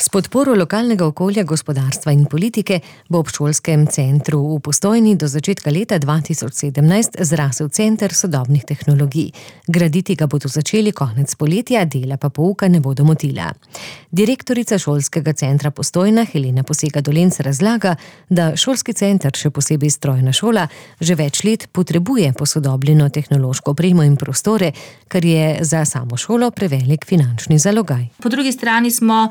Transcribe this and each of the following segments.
S podporo lokalnega okolja, gospodarstva in politike bo ob šolskem centru v Postojni do začetka leta 2017 zrasel center sodobnih tehnologij. Graditi ga bodo začeli konec poletja, dela pa pouka ne bodo motila. Direktorica šolskega centra Postojna Helena Posega-Dolenc razlaga, da šolski center, še posebej strojna šola, že več let potrebuje posodobljeno tehnološko opremo in prostore, kar je za samo šolo prevelik finančni zalogaj. Po drugi strani smo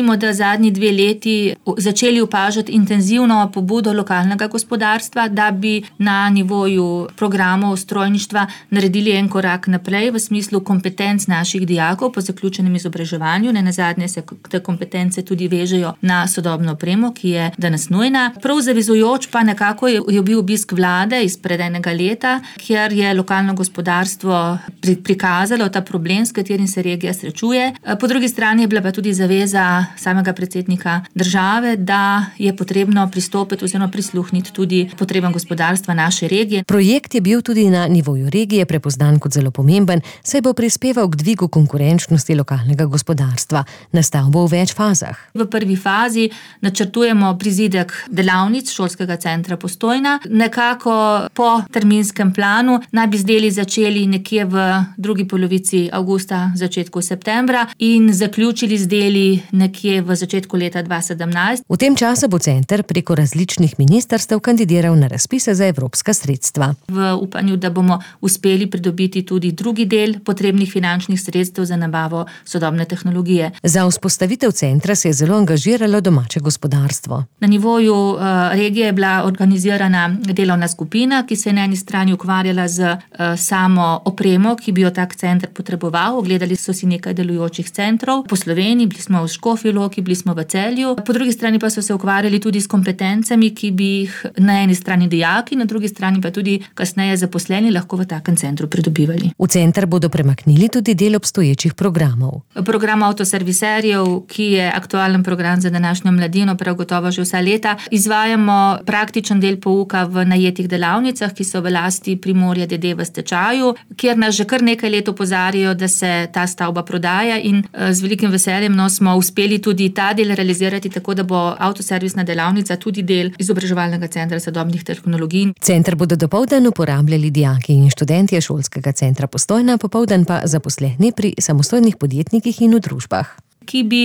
da zadnji 2 leti začeli opažati intenzivno pobudo lokalnega gospodarstva, da bi na nivoju programov strojništva naredili en korak naprej v smislu kompetenc naših dijakov po zaključenem izobraževanju. Nenazadnje se te kompetence tudi vežejo na sodobno opremo, ki je danes nujna. Prav zavezujoč pa nekako je bil obisk vlade izpred enega leta, kjer je lokalno gospodarstvo prikazalo ta problem, s katerim se regija srečuje. Po drugi strani je bila pa tudi zaveza samega predsednika države, da je potrebno pristopiti oziroma prisluhniti tudi potrebam gospodarstva naše regije. Projekt je bil tudi na nivoju regije prepoznan kot zelo pomemben, saj bo prispeval k dvigu konkurenčnosti lokalnega gospodarstva. Nastal bo v več fazah. V prvi fazi načrtujemo prizidek delavnic šolskega centra Postojna. Nekako po terminskem planu naj bi z deli začeli nekje v drugi polovici avgusta, začetku septembra in zaključili z deli nekje v začetku leta 2017. V tem času bo center preko različnih ministrstev kandidiral na razpise za evropska sredstva. V upanju, da bomo uspeli pridobiti tudi drugi del potrebnih finančnih sredstev za nabavo sodobne tehnologije. Za vzpostavitev centra se je zelo angažiralo domače gospodarstvo. Na nivoju regije je bila organizirana delovna skupina, ki se je na eni strani ukvarjala z samo opremo, ki bi jo tak center potreboval. Ogledali so si nekaj delujočih centrov po Sloveniji, bili smo v Škofji Loki, bili smo v Celju. Po drugi strani pa so se ukvarjali tudi s kompetencami, ki bi jih na eni strani dijaki, na drugi strani pa tudi kasneje zaposleni lahko v takem centru pridobivali. V center bodo premaknili tudi del obstoječih programov. Program avtoserviserjev, ki je aktualen program za današnjo mladino, prav gotovo že vsa leta. Izvajamo praktičen del pouka v najetih delavnicah, ki so v lasti Primorja d.d. v stečaju, kjer nas že kar nekaj let opozarjajo, da se ta stavba prodaja in z velikim veseljem smo uspeli tudi ta del realizirati, tako da bo avtoservisna delavnica tudi del izobraževalnega centra sodobnih tehnologij. Center bodo dopoldan uporabljali dijaki in študentje šolskega centra Postojna, popoldan pa zaposleni pri samostojnih podjetnikih in v družbah, ki bi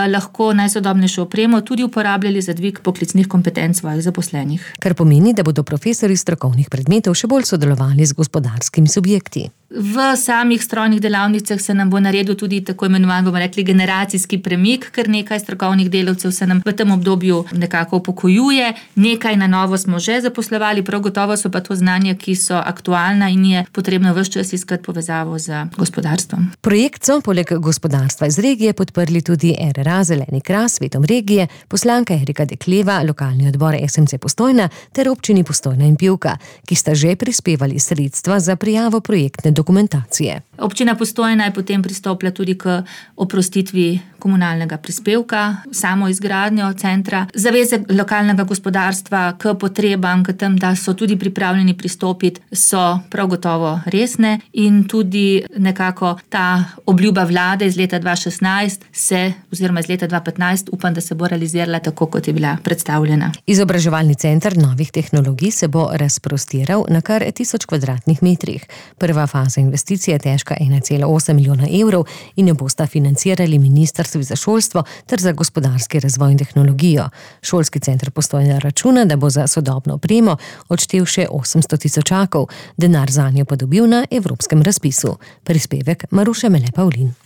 lahko najsodobnejšo opremo tudi uporabljali za dvig poklicnih kompetenc svojih zaposlenih. Kar pomeni, da bodo profesorji strokovnih predmetov še bolj sodelovali z gospodarskimi subjekti. V samih strojnih delavnicah se nam bo naredil tudi tako imenovan, bomo rekli, generacijski premik, ker nekaj strokovnih delavcev se nam v tem obdobju nekako upokojuje, nekaj na novo smo že zaposlovali, prav gotovo so pa to znanja, ki so aktualna in je potrebno ves čas iskati povezavo z gospodarstvom. Projekt so poleg gospodarstva iz regije podprli tudi RRA Zeleni Kras, Svetom regije, poslanka Erika Dekleva, lokalni odbor SMC Postojna ter občini Postojna in Pivka, ki sta že prispevali sredstva za prijavo projektne dokumentacije. Občina Postojna je potem pristopila tudi k oprostitvi komunalnega prispevka, samo izgradnjo centra. Zaveze lokalnega gospodarstva k potrebam, k tem, da so tudi pripravljeni pristopiti, so prav gotovo resne in tudi nekako ta obljuba vlade iz leta 2016 oziroma iz leta 2015 upam, da se bo realizirala tako, kot je bila predstavljena. Izobraževalni center novih tehnologij se bo razprostiral na kar 1000 kvadratnih metrih. Prva faza investicije je težka 1,8 milijona evrov in jo bosta financirali ministrstvi za šolstvo ter za gospodarski razvoj in tehnologijo. Šolski center Postojna računa, da bo za sodobno opremo odštel še 800 000, denar zanjo pa dobil na evropskem razpisu. Prispevek Maruše Mele Pavlin.